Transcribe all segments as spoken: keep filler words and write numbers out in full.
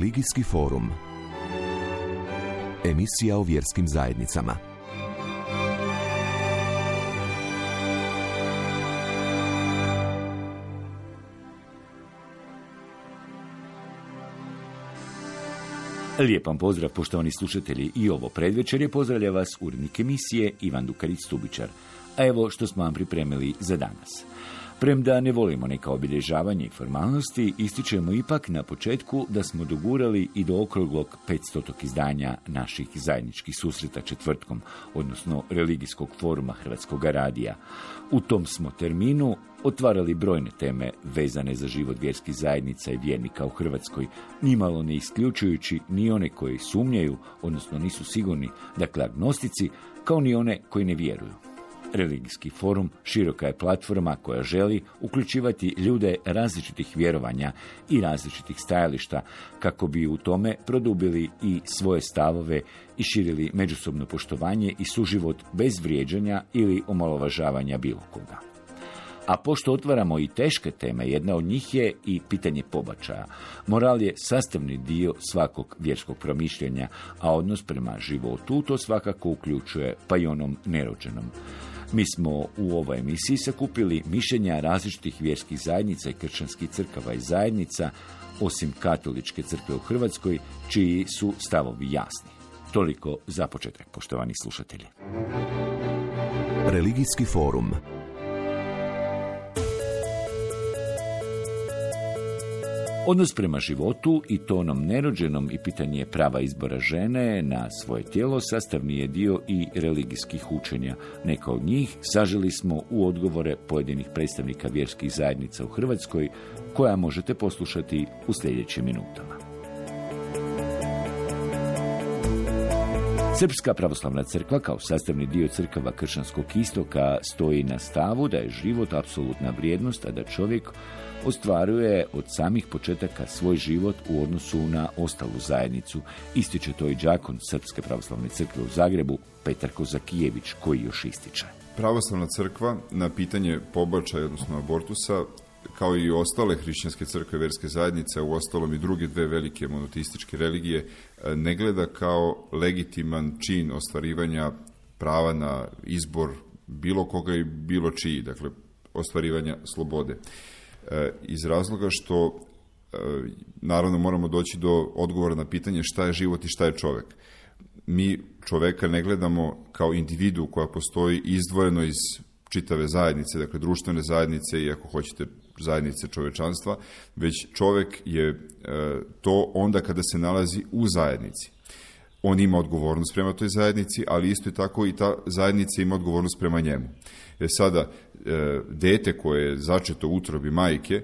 Religijski forum. Emisija o vjerskim zajednicama. Lijep vam pozdrav, poštovani slušatelji, i ovo predvečerje pozdravlja vas urednik emisije Ivan Dukarić-Stubičar. A evo što smo vam pripremili za danas. Premda ne volimo neka obilježavanja i formalnosti, ističemo ipak na početku da smo dogurali i do okruglog petstotog izdanja naših zajedničkih susreta četvrtkom, odnosno religijskog foruma Hrvatskog radija. U tom smo terminu otvarali brojne teme vezane za život vjerskih zajednica i vjernika u Hrvatskoj, nimalo ne isključujući ni one koji sumnjaju, odnosno nisu sigurni, dakle agnostici, kao ni one koji ne vjeruju. Religijski forum široka je platforma koja želi uključivati ljude različitih vjerovanja i različitih stajališta kako bi u tome produbili i svoje stavove i širili međusobno poštovanje i suživot bez vrijeđanja ili omalovažavanja bilo koga. A pošto otvaramo i teške teme, jedna od njih je i pitanje pobačaja. Moral je sastavni dio svakog vjerskog promišljanja, a odnos prema životu to svakako uključuje pa i onom nerođenom. Mi smo u ovoj emisiji sakupili mišljenja različitih vjerskih zajednica i kršćanskih crkava i zajednica, osim katoličke crkve u Hrvatskoj, čiji su stavovi jasni. Toliko za početak, poštovani slušatelji. Religijski forum. Odnos prema životu i to onom nerođenom i pitanje prava izbora žene na svoje tijelo sastavni je dio i religijskih učenja. Neka od njih saželi smo u odgovore pojedinih predstavnika vjerskih zajednica u Hrvatskoj, koja možete poslušati u sljedećim minutama. Srpska pravoslavna crkva kao sastavni dio crkava kršćanskog istoka stoji na stavu da je život apsolutna vrijednost, a da čovjek ostvaruje od samih početaka svoj život u odnosu na ostalu zajednicu. Ističe to i đakon Srpske pravoslavne crkve u Zagrebu, Petar Kozakijević, koji još ističe. Pravoslavna crkva na pitanje pobačaja, odnosno abortusa, kao i ostale hrišćanske crkve, vjerske zajednice, u ostalom i druge dve velike monoteističke religije, ne gleda kao legitiman čin ostvarivanja prava na izbor bilo koga i bilo čiji, dakle ostvarivanja slobode. Iz razloga što naravno moramo doći do odgovora na pitanje šta je život i šta je čovjek. Mi čovjeka ne gledamo kao individu koja postoji izdvojeno iz čitave zajednice, dakle društvene zajednice i ako hoćete zajednice čovečanstva, već čovjek je to onda kada se nalazi u zajednici. On ima odgovornost prema toj zajednici, ali isto i tako i ta zajednica ima odgovornost prema njemu. E sada, dete koje je začeto u utrobi majke,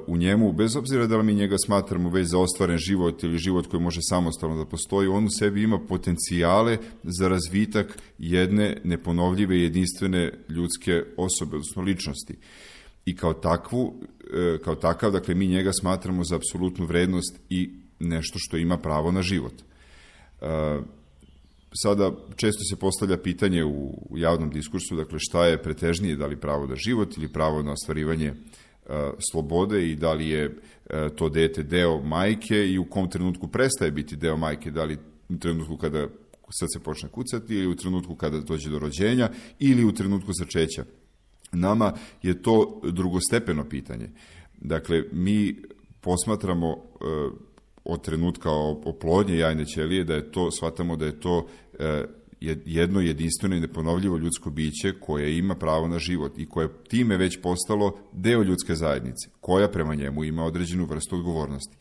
u njemu, bez obzira da li mi njega smatramo već za ostvaren život ili život koji može samostalno da postoji, on u sebi ima potencijale za razvitak jedne neponovljive, jedinstvene ljudske osobe, odnosno ličnosti. I kao takvu, kao takav, dakle, mi njega smatramo za apsolutnu vrednost i nešto što ima pravo na život. Sada često se postavlja pitanje u javnom diskursu, dakle, šta je pretežnije, da li pravo na život ili pravo na ostvarivanje slobode i da li je to dete deo majke i u kom trenutku prestaje biti deo majke, da li u trenutku kada srce počne kucati ili u trenutku kada dođe do rođenja ili u trenutku začeća. Nama je to drugostepeno pitanje. Dakle, mi posmatramo od trenutka oplodnje jajne ćelije da je to, shvatamo da je to jedno jedinstveno i neponovljivo ljudsko biće koje ima pravo na život i koje je time već postalo deo ljudske zajednice, koja prema njemu ima određenu vrstu odgovornosti.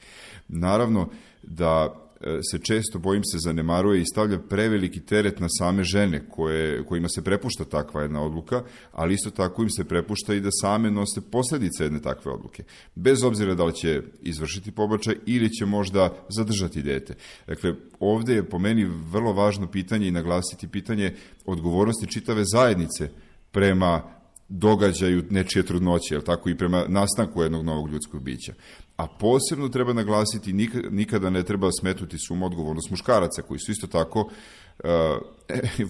Naravno da se često, bojim se, zanemaruje i stavlja preveliki teret na same žene koje, kojima se prepušta takva jedna odluka, ali isto tako im se prepušta i da same nose posljedice jedne takve odluke. Bez obzira da li će izvršiti pobačaj ili će možda zadržati dete. Dakle, ovdje je po meni vrlo važno pitanje i naglasiti pitanje odgovornosti čitave zajednice prema događaju nečije trudnoće, jel tako, i prema nastanku jednog novog ljudskog bića. A posebno treba naglasiti, nikada ne treba smetnuti suma odgovornost muškaraca, koji su isto tako uh,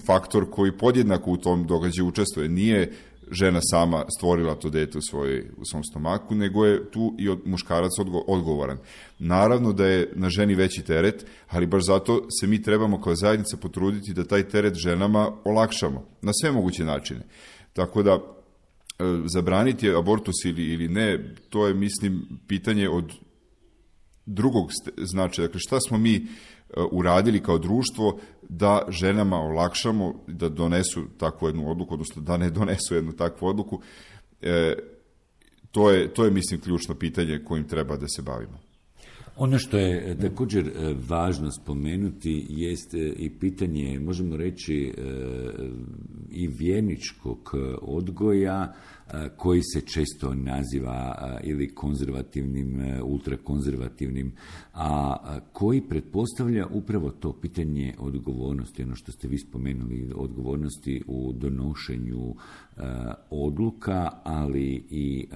faktor koji podjednako u tom događaju učestvuje. Nije žena sama stvorila to dete u, svojoj, u svom stomaku, nego je tu i od muškarac odgo, odgovoran. Naravno da je na ženi veći teret, ali baš zato se mi trebamo kao zajednica potruditi da taj teret ženama olakšamo na sve moguće načine. Tako da zabraniti abortus ili, ili ne, to je, mislim, pitanje od drugog značaja. Dakle, šta smo mi uradili kao društvo da ženama olakšamo da donesu takvu jednu odluku, odnosno da ne donesu jednu takvu odluku. E, to je, to je, mislim, ključno pitanje kojim treba da se bavimo. Ono što je također važno spomenuti jest i pitanje, možemo reći, i vjerničkog odgoja koji se često naziva ili konzervativnim, ultrakonzervativnim, a koji pretpostavlja upravo to pitanje odgovornosti, ono što ste vi spomenuli, odgovornosti u donošenju odluka, ali i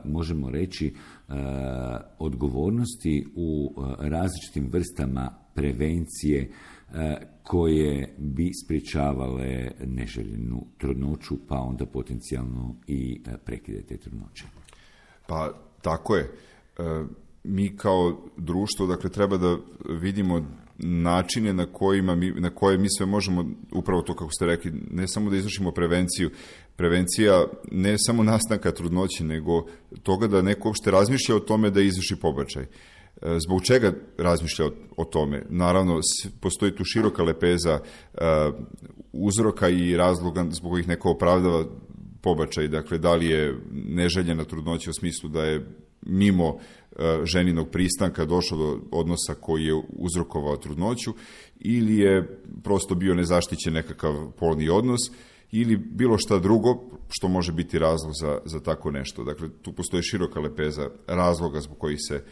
možemo reći odgovornosti u različitim vrstama prevencije koje bi sprječavale neželjenu trudnoću, pa onda potencijalno i prekide te trudnoće. Pa tako je. Mi kao društvo, dakle, treba da vidimo načine na kojima mi, na koje mi sve možemo, upravo to kako ste rekli, ne samo da izvršimo prevenciju, prevencija ne samo nastanka trudnoće, nego toga da neko uopšte razmišlja o tome da izvrši pobačaj. Zbog čega razmišlja o, o tome? Naravno, postoji tu široka lepeza uh, uzroka i razloga zbog kojih neko opravdava pobačaj. Dakle, da li je neželjena trudnoća u smislu da je mimo uh, ženinog pristanka došlo do odnosa koji je uzrokovao trudnoću, ili je prosto bio nezaštićen nekakav polni odnos, ili bilo šta drugo što može biti razlog za, za tako nešto. Dakle, tu postoji široka lepeza razloga zbog kojih se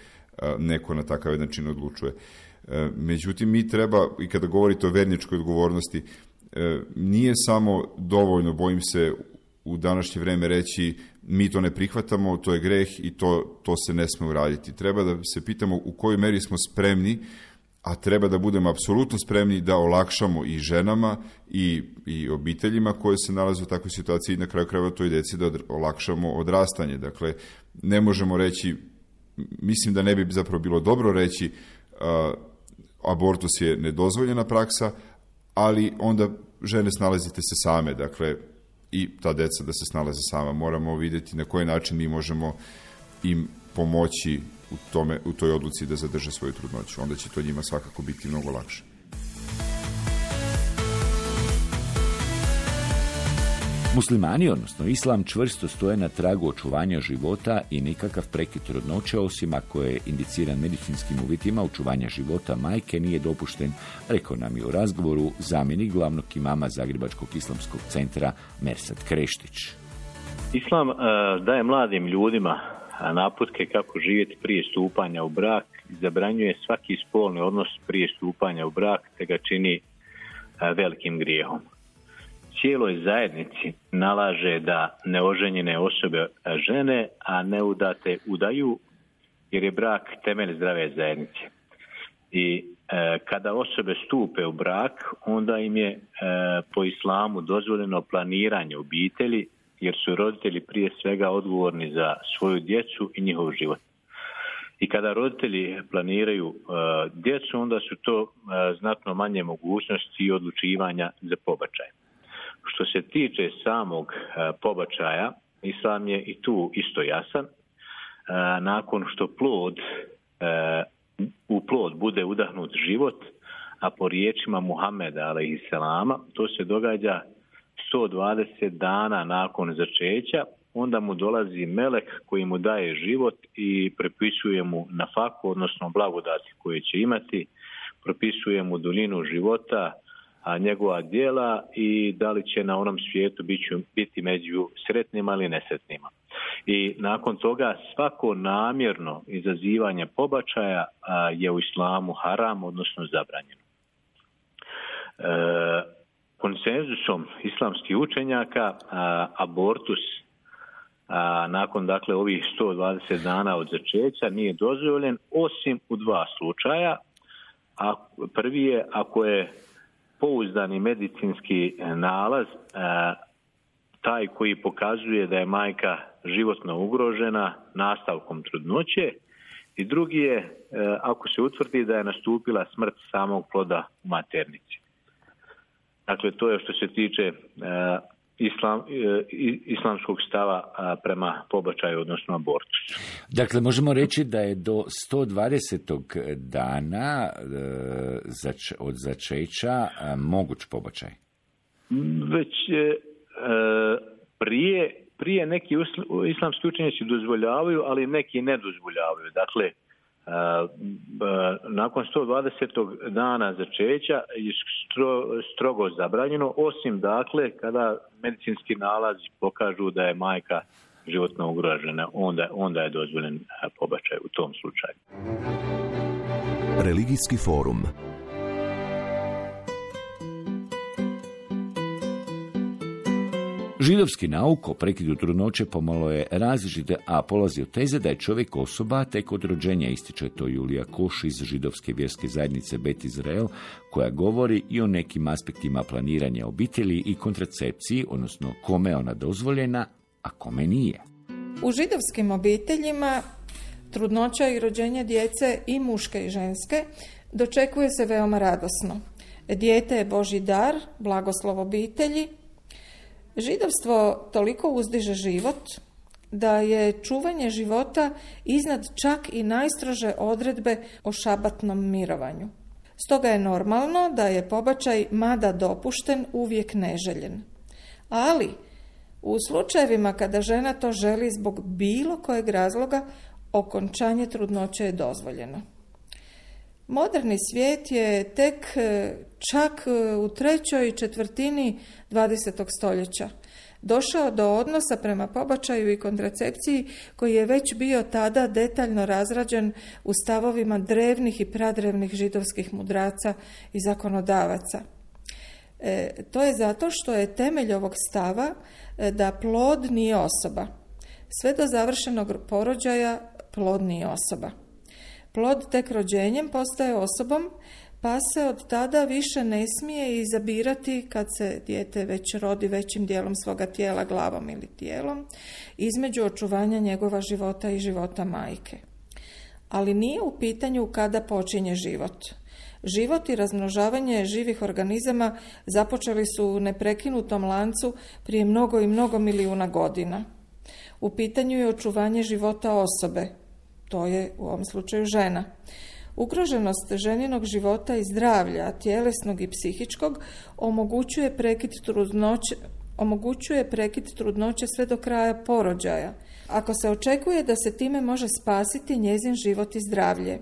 neko na takav jedan čin odlučuje. Međutim, mi treba, i kada govorite o verničkoj odgovornosti, nije samo dovoljno, bojim se, u današnje vreme reći mi to ne prihvatamo, to je greh i to, to se ne sme uraditi. Treba da se pitamo u kojoj meri smo spremni, a treba da budemo apsolutno spremni da olakšamo i ženama i, i obiteljima koje se nalaze u takvoj situaciji i na kraju krajeva toj deci da olakšamo odrastanje. Dakle, ne možemo reći, mislim da ne bi zapravo bilo dobro reći uh, abortus je nedozvoljena praksa, ali onda žene snalazite se same, dakle, i ta deca da se snalaze sama. Moramo vidjeti na koji način mi možemo im pomoći u, tome, u toj odluci da zadrže svoju trudnoću. Onda će to njima svakako biti mnogo lakše. Muslimani, odnosno islam, čvrsto stoje na tragu očuvanja života i nikakav prekid trudnoće, osim ako je indiciran medicinskim uvjetima očuvanja života majke, nije dopušten, rekao nam je u razgovoru zamjenik glavnog imama Zagrebačkog islamskog centra Mersat Kreštić. Islam uh, daje mladim ljudima naputke kako živjeti prije stupanja u brak, zabranjuje svaki spolni odnos prije stupanja u brak, te ga čini uh, velikim grijehom. Cijeloj zajednici nalaže da neoženjene osobe žene, a neudate udaju, jer je brak temelj zdrave zajednice. I e, kada osobe stupe u brak, onda im je e, po islamu dozvoljeno planiranje obitelji, jer su roditelji prije svega odgovorni za svoju djecu i njihov život. I kada roditelji planiraju e, djecu, onda su to e, znatno manje mogućnosti i odlučivanja za pobačaj. Što se tiče samog e, pobačaja, islam je i tu isto jasan. E, nakon što plod, e, u plod bude udahnut život, a po riječima Muhameda alejhiselama, to se događa sto dvadeset dana nakon začeća, onda mu dolazi melek koji mu daje život i prepisuje mu nafaku, odnosno blagodati koje će imati, propisuje mu duljinu života, a njegova djela i da li će na onom svijetu biti među sretnima ili nesretnima. I nakon toga svako namjerno izazivanje pobačaja je u islamu haram, odnosno zabranjeno. E, konsenzusom islamskih učenjaka a, abortus a, nakon dakle ovih sto dvadeset dana od začeća nije dozvoljen osim u dva slučaja. A prvi je ako je pouzdani medicinski nalaz e, taj koji pokazuje da je majka životno ugrožena nastavkom trudnoće i drugi je ako se utvrdi da je nastupila smrt samog ploda u maternici. Dakle, to je što se tiče islam, islamskog stava prema pobačaju, odnosno abortusu. Dakle, možemo reći da je do sto dvadesetog dana od začeća moguć pobačaj? Već prije, prije neki islamski učenjaci dozvoljavaju, ali neki ne dozvoljavaju. Dakle, nakon sto dvadesetog dana začeća je stro, strogo zabranjeno, osim dakle kada medicinski nalazi pokažu da je majka životno ugrožena, onda, onda je dozvoljen pobačaj u tom slučaju. Religijski forum. Židovski nauk o prekidu trudnoće pomalo je različite, a polazi od teze da je čovjek osoba tek od rođenja, ističe to Julija Koš iz židovske vjerske zajednice Bet Izrael, koja govori i o nekim aspektima planiranja obitelji i kontracepciji, odnosno kome je ona dozvoljena, a kome nije. U židovskim obiteljima trudnoća i rođenje djece, i muške i ženske, dočekuje se veoma radosno. Dijete je Božji dar, blagoslov obitelji. Židovstvo toliko uzdiže život da je čuvanje života iznad čak i najstrože odredbe o šabatnom mirovanju. Stoga je normalno da je pobačaj, mada dopušten, uvijek neželjen. Ali u slučajevima kada žena to želi zbog bilo kojeg razloga, okončanje trudnoće je dozvoljeno. Moderni svijet je tek čak u trećoj četvrtini dvadesetog stoljeća došao do odnosa prema pobačaju i kontracepciji koji je već bio tada detaljno razrađen u stavovima drevnih i pradrevnih židovskih mudraca i zakonodavaca. E, to je zato što je temelj ovog stava da plod nije osoba. Sve do završenog porođaja plod nije osoba. Plod tek rođenjem postaje osobom, pa se od tada više ne smije izabirati kad se dijete već rodi većim dijelom svoga tijela, glavom ili tijelom, između očuvanja njegova života i života majke. Ali nije u pitanju kada počinje život. Život i razmnožavanje živih organizama započeli su u neprekinutom lancu prije mnogo i mnogo milijuna godina. U pitanju je očuvanje života osobe, to je u ovom slučaju žena. Ugroženost ženinog života i zdravlja, tjelesnog i psihičkog, omogućuje prekid trudnoće, omogućuje prekid trudnoće sve do kraja porođaja, ako se očekuje da se time može spasiti njezin život i zdravlje.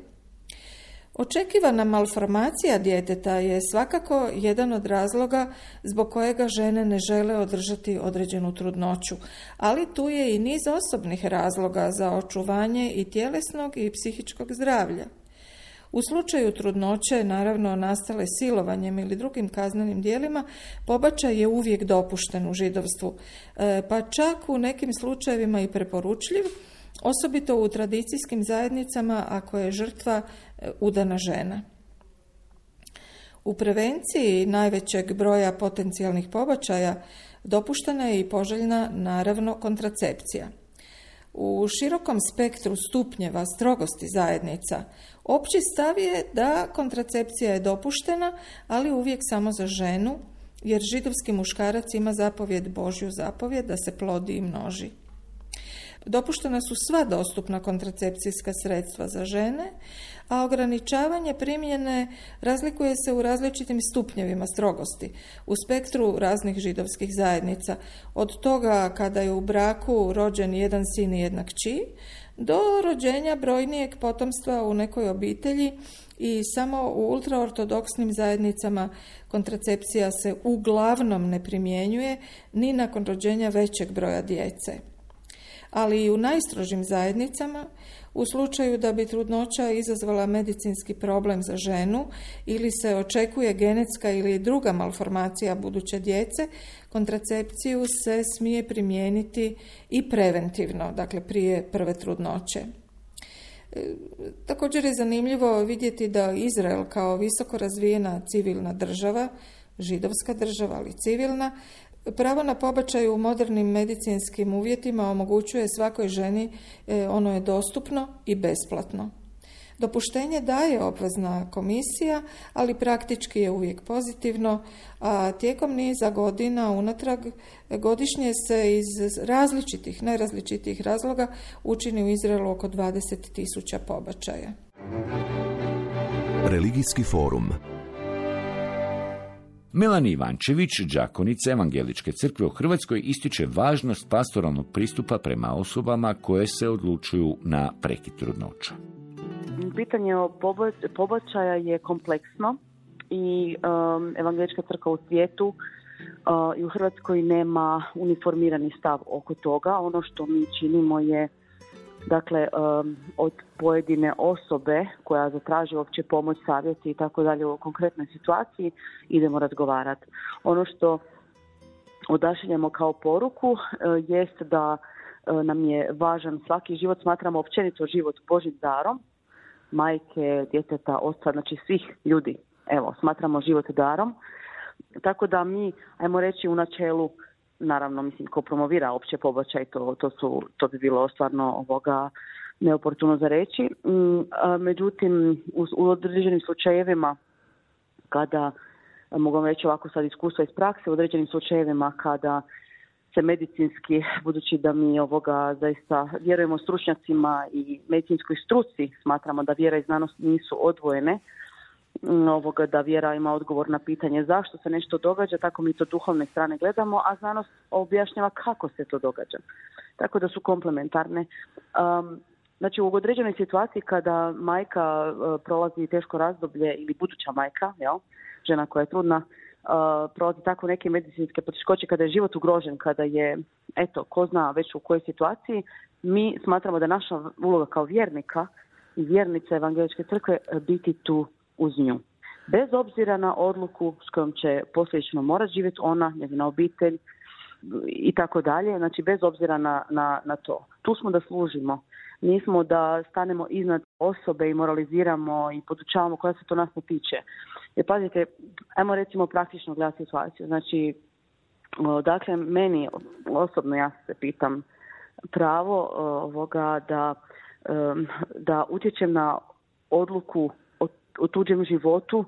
Očekivana malformacija djeteta je svakako jedan od razloga zbog kojega žene ne žele održati određenu trudnoću, ali tu je i niz osobnih razloga za očuvanje i tjelesnog i psihičkog zdravlja. U slučaju trudnoće, naravno nastale silovanjem ili drugim kaznenim djelima, pobačaj je uvijek dopušten u židovstvu, pa čak u nekim slučajevima i preporučljiv, osobito u tradicijskim zajednicama ako je žrtva udana žena. U prevenciji najvećeg broja potencijalnih pobačaja dopuštena je i poželjna, naravno, kontracepcija. U širokom spektru stupnjeva strogosti zajednica opći stav je da kontracepcija je dopuštena, ali uvijek samo za ženu, jer židovski muškarac ima zapovjed, Božju zapovjed, da se plodi i množi. Dopuštena su sva dostupna kontracepcijska sredstva za žene, a ograničavanje primjene razlikuje se u različitim stupnjevima strogosti u spektru raznih židovskih zajednica, od toga kada je u braku rođen jedan sin i jedna kći, do rođenja brojnijeg potomstva u nekoj obitelji i samo u ultraortodoksnim zajednicama kontracepcija se uglavnom ne primjenjuje ni nakon rođenja većeg broja djece. Ali i u najstrožim zajednicama, u slučaju da bi trudnoća izazvala medicinski problem za ženu ili se očekuje genetska ili druga malformacija buduće djece, kontracepciju se smije primijeniti i preventivno, dakle prije prve trudnoće. Također je zanimljivo vidjeti da Izrael kao visoko razvijena civilna država, židovska država ali civilna, Pravo na pobačaj u modernim medicinskim uvjetima omogućuje svakoj ženi, ono je dostupno i besplatno. Dopuštenje daje obvezna komisija, ali praktički je uvijek pozitivno, a tijekom niza godina unatrag godišnje se iz različitih, najrazličitijih razloga učini u Izraelu oko dvadeset tisuća pobačaja. Religijski forum. Melanie Ivančević, đakonica Evangeličke crkve u Hrvatskoj, ističe važnost pastoralnog pristupa prema osobama koje se odlučuju na prekid trudnoće. Pitanje pobačaja je kompleksno i um, Evangelička crkva u svijetu uh, i u Hrvatskoj nema uniformirani stav oko toga. Ono što mi činimo je, dakle, um, od pojedine osobe koja zatraži uopće pomoć, savjeti i tako dalje u konkretnoj situaciji, idemo razgovarati. Ono što odašiljemo kao poruku uh, jest da uh, nam je važan svaki život, smatramo općenito život Božjim darom, majke, djeteta, oca, znači svih ljudi, evo, smatramo život darom. Tako da mi, ajmo reći, u načelu, naravno, mislim, ko promovira opće pobačaj, to, to, su, to bi bilo stvarno ovoga neoportuno za reći. Međutim, u, u određenim slučajevima, kada, mogu vam reći ovako sad iskustva iz prakse, u određenim slučajevima kada se medicinski, budući da mi ovoga zaista vjerujemo stručnjacima i medicinskoj struci, smatramo da vjera i znanost nisu odvojene, ovoga, da vjera ima odgovor na pitanje zašto se nešto događa, tako mi to duhovne strane gledamo, a znanost objašnjava kako se to događa. Tako da su komplementarne. Um, znači u određenoj situaciji kada majka uh, prolazi teško razdoblje ili buduća majka, jel, žena koja je trudna, Uh, prolazi tako neke medicinske poteškoće, kada je život ugrožen, kada je, eto, ko zna već u kojoj situaciji, mi smatramo da naša uloga kao vjernika i vjernica Evangeličke crkve biti tu uz nju. Bez obzira na odluku s kojom će posljedično morati živjeti ona, njezina obitelj i tako dalje, znači bez obzira na, na, na to. Tu smo da služimo. Nismo da stanemo iznad osobe i moraliziramo i podučavamo koja se to nas ne tiče. Jer pazite, ajmo recimo praktično gledati situaciju. Znači, dakle, meni osobno, ja se pitam, pravo ovoga da, da utječem na odluku o, o tuđem životu,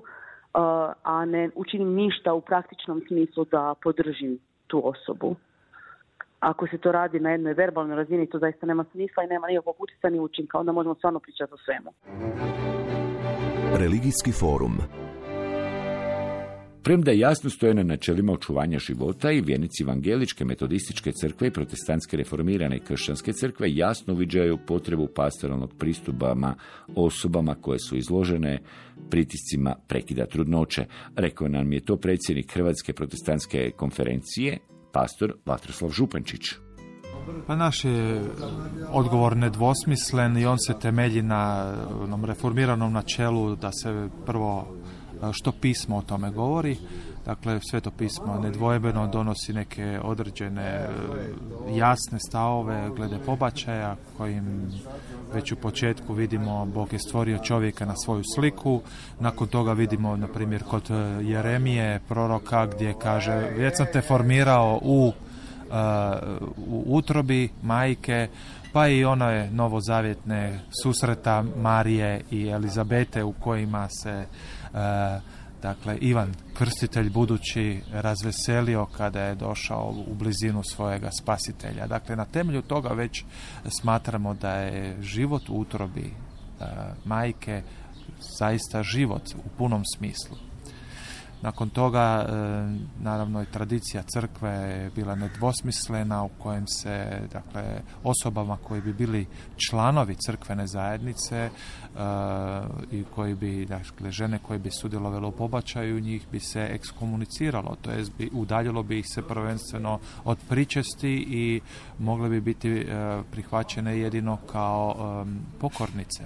a ne učinim ništa u praktičnom smislu da podržim tu osobu. Ako se to radi na jednoj verbalnoj razini, to zaista nema smisla i nema nikakvog utjecaja ni učinka, onda možemo stvarno pričati o svemu. Religijski forum. Premda jasno stoje na načelima očuvanja života, i vjernici Evangeličke, Metodističke crkve i Protestantske reformirane i Kršćanske crkve jasno uviđaju potrebu pastoralnog pristupa osobama koje su izložene pritiscima prekida trudnoće. Rekao nam je to predsjednik Hrvatske protestantske konferencije, pastor Vatroslav Župančić. Pa naš je odgovor nedvosmislen i on se temelji na onom reformiranom načelu da se prvo što pismo o tome govori. Dakle, Sveto pismo nedvojbeno donosi neke određene jasne stavove glede pobačaja, kojim već u početku vidimo Bog je stvorio čovjeka na svoju sliku. Nakon toga vidimo, na primjer, kod Jeremije, proroka, gdje kaže već sam te formirao u, uh, u utrobi majke, pa i one novozavjetne susreta Marije i Elizabete u kojima se uh, dakle, Ivan Krstitelj budući razveselio kada je došao u blizinu svojega spasitelja. Dakle, na temelju toga već smatramo da je život u utrobi e, majke zaista život u punom smislu. Nakon toga, e, naravno, i tradicija crkve je bila nedvosmislena, u kojem se, dakle, osobama koji bi bili članovi crkvene zajednice e, i koji bi, dakle, žene koje bi sudjelovale u pobačaju, njih bi se ekskomuniciralo, to jest bi, udaljilo bi ih se prvenstveno od pričesti i mogle bi biti e, prihvaćene jedino kao e, pokornice.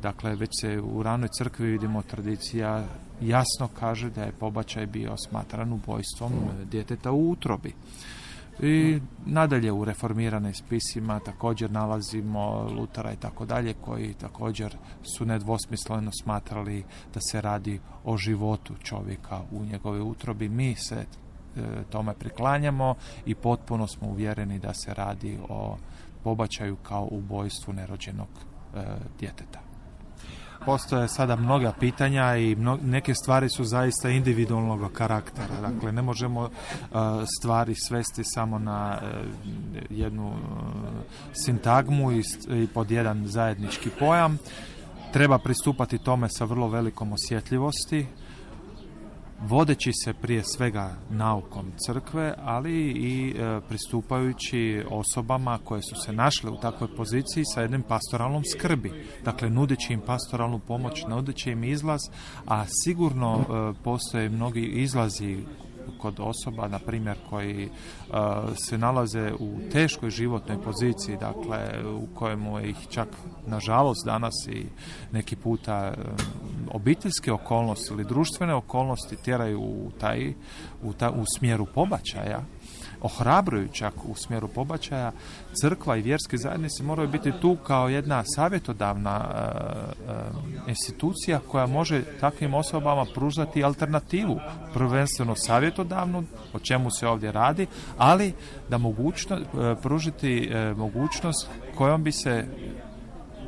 Dakle, već se u ranoj crkvi vidimo tradicija jasno kaže da je pobačaj bio smatran ubojstvom djeteta u utrobi. I nadalje u reformiranim spisima također nalazimo Lutera i tako dalje, koji također su nedvosmisleno smatrali da se radi o životu čovjeka u njegove utrobi. Mi se tome priklanjamo i potpuno smo uvjereni da se radi o pobačaju kao ubojstvu nerođenog e, djeteta. Postoje sada mnoga pitanja i mno, neke stvari su zaista individualnog karaktera. Dakle, ne možemo uh, stvari svesti samo na uh, jednu uh, sintagmu i, i pod jedan zajednički pojam. Treba pristupati tome sa vrlo velikom osjetljivosti, vodeći se prije svega naukom crkve, ali i e, pristupajući osobama koje su se našle u takvoj poziciji sa jednim pastoralnom skrbi. Dakle, nudeći im pastoralnu pomoć, nudeći im izlaz, a sigurno e, postoje mnogi izlazi kod osoba, na primjer, koji uh, se nalaze u teškoj životnoj poziciji, dakle, u kojemu ih čak, nažalost, danas i neki puta um, obiteljske okolnosti ili društvene okolnosti tjeraju u, taj, u, ta, u smjeru pobačaja, ohrabruju čak u smjeru pobačaja. Crkva i vjerske zajednice moraju biti tu kao jedna savjetodavna uh, uh, institucija koja može takvim osobama pružati alternativu, prvenstveno savjetodavnu, o čemu se ovdje radi, ali da mogućno, uh, pružiti uh, mogućnost kojom bi se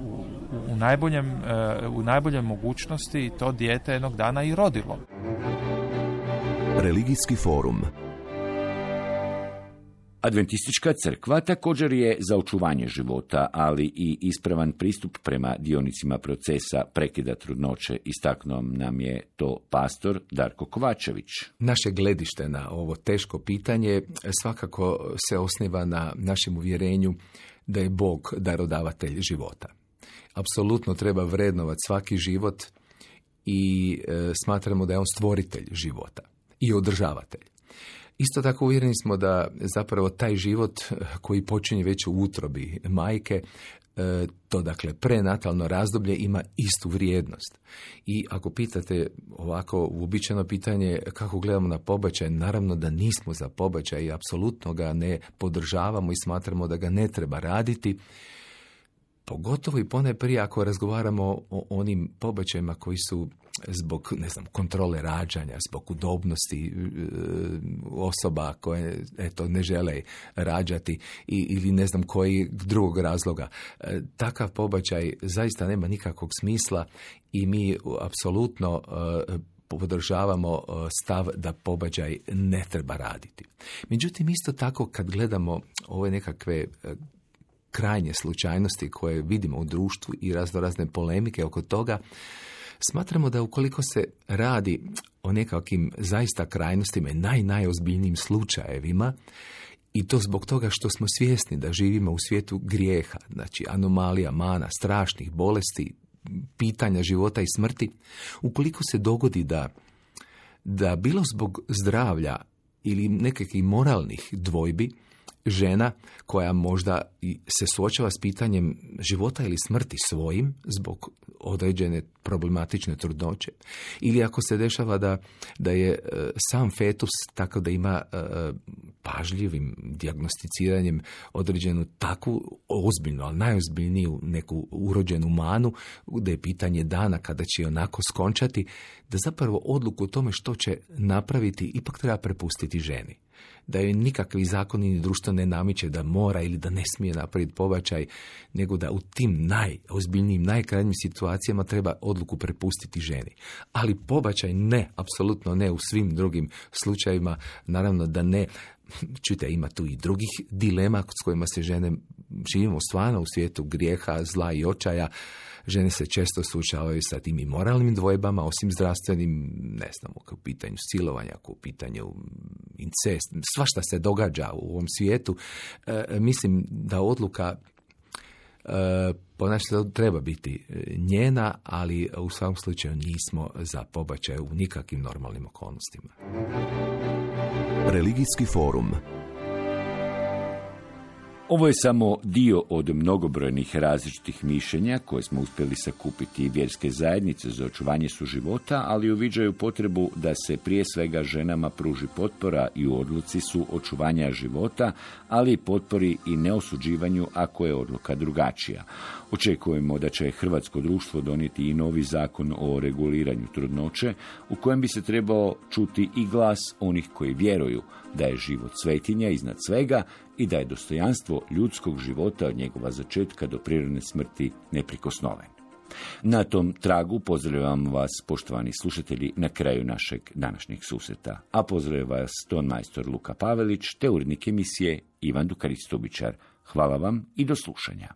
u, u, najboljem, uh, u najboljem mogućnosti to dijete jednog dana i rodilo. Religijski forum. Adventistička crkva također je za očuvanje života, ali i ispravan pristup prema dionicima procesa prekida trudnoće. Istaknuo nam je to pastor Darko Kovačević. Naše gledište na ovo teško pitanje svakako se osniva na našem uvjerenju da je Bog darodavatelj života. Apsolutno treba vrednovati svaki život i e, smatramo da je on stvoritelj života i održavatelj. Isto tako uvjereni smo da zapravo taj život koji počinje već u utrobi majke, to dakle prenatalno razdoblje ima istu vrijednost. I ako pitate ovako uobičajeno pitanje kako gledamo na pobačaj, naravno da nismo za pobačaj i apsolutno ga ne podržavamo i smatramo da ga ne treba raditi. Pogotovo i ponajprije ako razgovaramo o onim pobačajima koji su zbog, ne znam, kontrole rađanja, zbog udobnosti e, osoba koje eto ne žele rađati i, ili ne znam koji drugog razloga. E, takav pobačaj zaista nema nikakvog smisla i mi apsolutno e, podržavamo stav da pobačaj ne treba raditi. Međutim, isto tako kad gledamo ove nekakve krajnje slučajnosti koje vidimo u društvu i razno razne polemike oko toga, smatramo da ukoliko se radi o nekakvim zaista krajnostima i naj, najozbiljnijim slučajevima, i to zbog toga što smo svjesni da živimo u svijetu grijeha, znači anomalija, mana, strašnih bolesti, pitanja života i smrti, ukoliko se dogodi da, da bilo zbog zdravlja ili nekakvih moralnih dvojbi, žena koja možda se suočava s pitanjem života ili smrti svojim zbog određene problematične trudnoće, ili ako se dešava da, da je e, sam fetus tako da ima e, pažljivim dijagnosticiranjem određenu takvu ozbiljnu, ali najozbiljniju neku urođenu manu, da je pitanje dana kada će onako skončati, da zapravo odluku o tome što će napraviti ipak treba prepustiti ženi. Da joj nikakvi zakoni ni društvo ne namiče da mora ili da ne smije napraviti pobačaj, nego da u tim najozbiljnijim, najkrajnjim situacijama treba odluku prepustiti ženi. Ali pobačaj ne, apsolutno ne u svim drugim slučajevima, naravno da ne. Čujte, ima tu i drugih dilema s kojima se žene, živimo stvarno u svijetu grijeha, zla i očaja. Žene se često suočavaju sa tim i moralnim dvojbama, osim zdravstvenim, ne znam, u pitanju silovanja, u pitanju incest, svašta se događa u ovom svijetu. E, mislim da odluka e, po našem treba biti njena, ali u svakom slučaju nismo za pobačaj u nikakvim normalnim okolnostima. Religijski forum. Ovo je samo dio od mnogobrojnih različitih mišljenja koje smo uspjeli sakupiti vjerske zajednice za očuvanje suživota, ali uviđaju potrebu da se prije svega ženama pruži potpora i u odluci su očuvanja života, ali i potpori i neosuđivanju ako je odluka drugačija. Očekujemo da će hrvatsko društvo donijeti i novi zakon o reguliranju trudnoće, u kojem bi se trebao čuti i glas onih koji vjeruju da je život svetinja iznad svega i da je dostojanstvo ljudskog života od njegova začetka do prirodne smrti neprikosnoven. Na tom tragu pozdravljam vas, poštovani slušatelji, na kraju našeg današnjeg susreta. A pozdravlja vas ton majstor Luka Pavelić te urednik emisije Ivan Dukarić-Stubičar. Hvala vam i do slušanja.